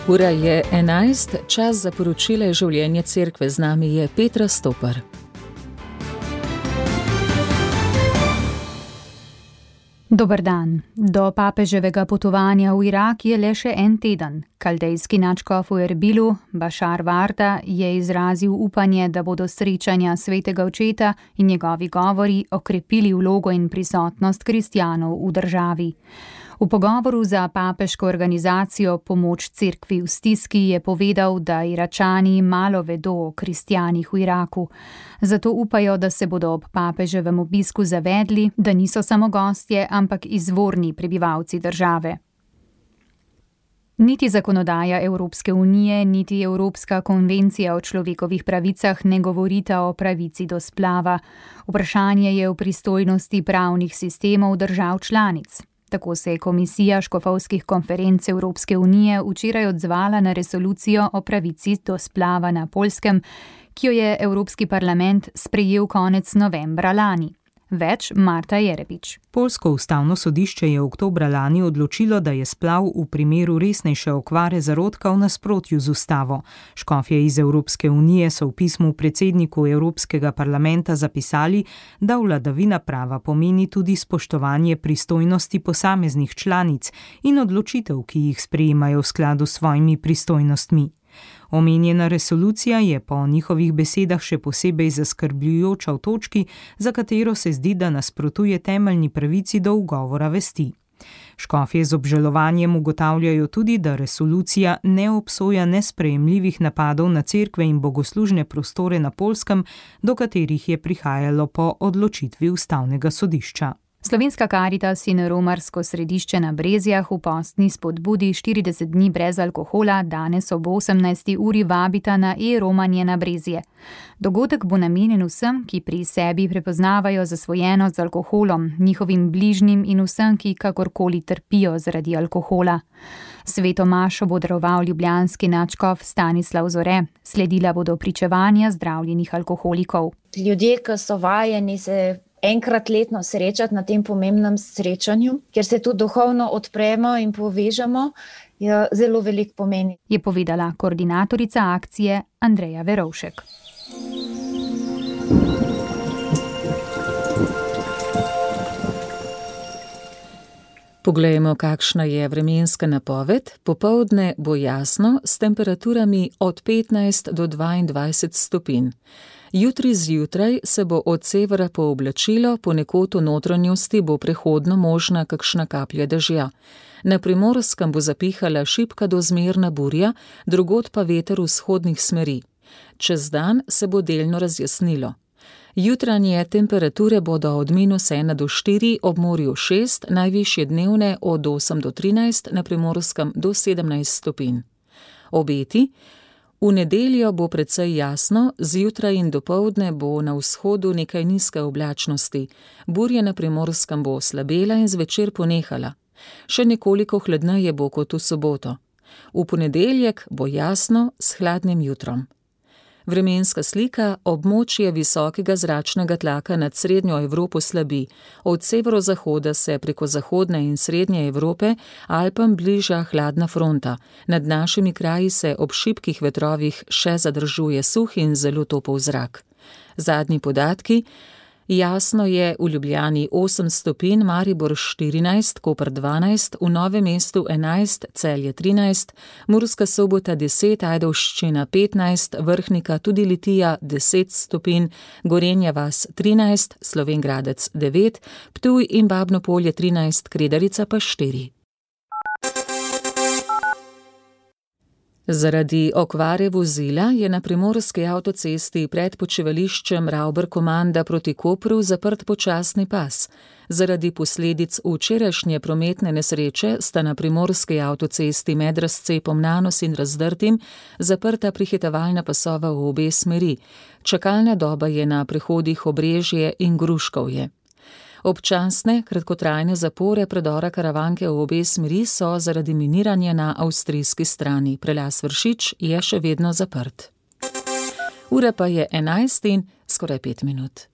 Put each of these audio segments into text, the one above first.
Ura je 11, čas za poročile življenja cerkve. Z nami je Petra Stopar. Dober dan. Do papeževega potovanja v Irak je le še en teden. Kaldejski nadškof v Erbilu, Bašar Varda, je izrazil upanje, da bodo srečanja svetega očeta in njegovi govori okrepili vlogo in prisotnost kristjanov v državi. V pogovoru za papeško organizacijo Pomoč cerkvi v stiski je povedal, da Iračani malo vedo o kristjanih v Iraku. Zato upajo, da se bodo ob papeževem obisku zavedli, da niso samo gostje, ampak izvorni prebivalci države. Niti zakonodaja Evropske unije, niti Evropska konvencija o človekovih pravicah ne govorita o pravici do splava. Vprašanje je v pristojnosti pravnih sistemov držav članic. Tako se je Komisija škofovskih konferenc Evropske unije včeraj odzvala na resolucijo o pravici do splava na Poljskem, ki jo je Evropski parlament sprejel konec novembra lani. Več Marta Jerebič. Poljsko ustavno sodišče je oktobra lani odločilo, da je splav v primeru resnejše okvare zarodka v nasprotju z ustavo. Škofje iz Evropske unije so v pismu predsedniku Evropskega parlamenta zapisali, da vladavina prava pomeni tudi spoštovanje pristojnosti posameznih članic in odločitev, ki jih sprejemajo v skladu s svojimi pristojnostmi. Omenjena resolucija je po njihovih besedah še posebej zaskrbljujoča v točki, za katero se zdi, da nasprotuje temeljni pravici do ugovora vesti. Škofje z obžalovanjem ugotavljajo tudi, da resolucija ne obsoja nesprejemljivih napadov na cerkve in bogoslužne prostore na Poljskem, do katerih je prihajalo po odločitvi ustavnega sodišča. Slovenska Karitas in romarsko središče na Brezjah v postni spodbudi 40 dni brez alkohola danes ob 18. uri vabita na e-romanje na Brezje. Dogodek bo namenjen vsem, ki pri sebi prepoznavajo zasvojenost z alkoholom, njihovim bližnjim in vsem, ki kakorkoli trpijo zaradi alkohola. Sveto mašo bo daroval ljubljanski nadškof Stanislav Zore, sledila bodo pričevanja zdravljenih alkoholikov. Ljudje, ki so vajeni se enkrat letno srečati na tem pomembnem srečanju, kjer se tudi duhovno odpremo in povežemo, je zelo veliko pomeni. Je povedala koordinatorica akcije Andreja Verovšek. Poglejmo, kakšna je vremenska napoved. Popoldne bo jasno s temperaturami od 15 do 22 stopinj. Jutri zjutraj se bo od severa pooblačilo, ponekod v notranjosti bo prehodno možna kakšna kaplja dežja. Na Primorskem bo zapihala šibka do zmerna burja, drugod pa veter vzhodnih smeri. Čez dan se bo delno razjasnilo. Jutranje temperature bodo od -1 do 4, ob morju 6, najvišje dnevne od 8 do 13, na Primorskem do 17 stopinj. Obeti. V nedeljo bo precej jasno, zjutraj in dopoldne bo na vzhodu nekaj nizke oblačnosti. Burja na Primorskem bo slabela in zvečer ponehala. Še nekoliko hladneje bo kot v soboto. V ponedeljek bo jasno s hladnim jutrom. Vremenska slika: območje visokega zračnega tlaka nad srednjo Evropo slabi. Od severozahoda se preko zahodne in srednje Evrope Alpam bliža hladna fronta. Nad našimi kraji se ob šibkih vetrovih še zadržuje suh in zelo topel zrak. Zadnji podatki: jasno je v Ljubljani 8 stopinj, Maribor 14, Koper 12, v Novem mestu 11, Celje 13, Murska Sobota 10, Ajdovščina 15, Vrhnika tudi Litija 10 stopinj, Gorenja vas 13, Slovenj Gradec 9, Ptuj in Babno Polje 13, Kredarica pa 4. Zaradi okvare vozila je na primorski avtocesti pred počivališčem Ravber-Komanda proti Kopru zaprt počasni pas. Zaradi posledic včerajšnje prometne nesreče sta na primorski avtocesti med razcepom Nanos in Razdrtim zaprta prehitevalna pasova v obe smeri. Čakalna doba je na prehodih Obrežje in Gruškovje. Občasne, kratkotrajne zapore predora Karavanke v obe smeri so zaradi miniranja na avstrijski strani. Prelaz Vršič je še vedno zaprt. Ura pa je 11 in skoraj 5 minut.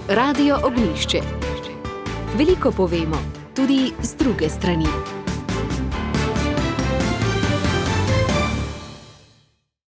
Radio Ognjišče. Veliko povemo, tudi z druge strani.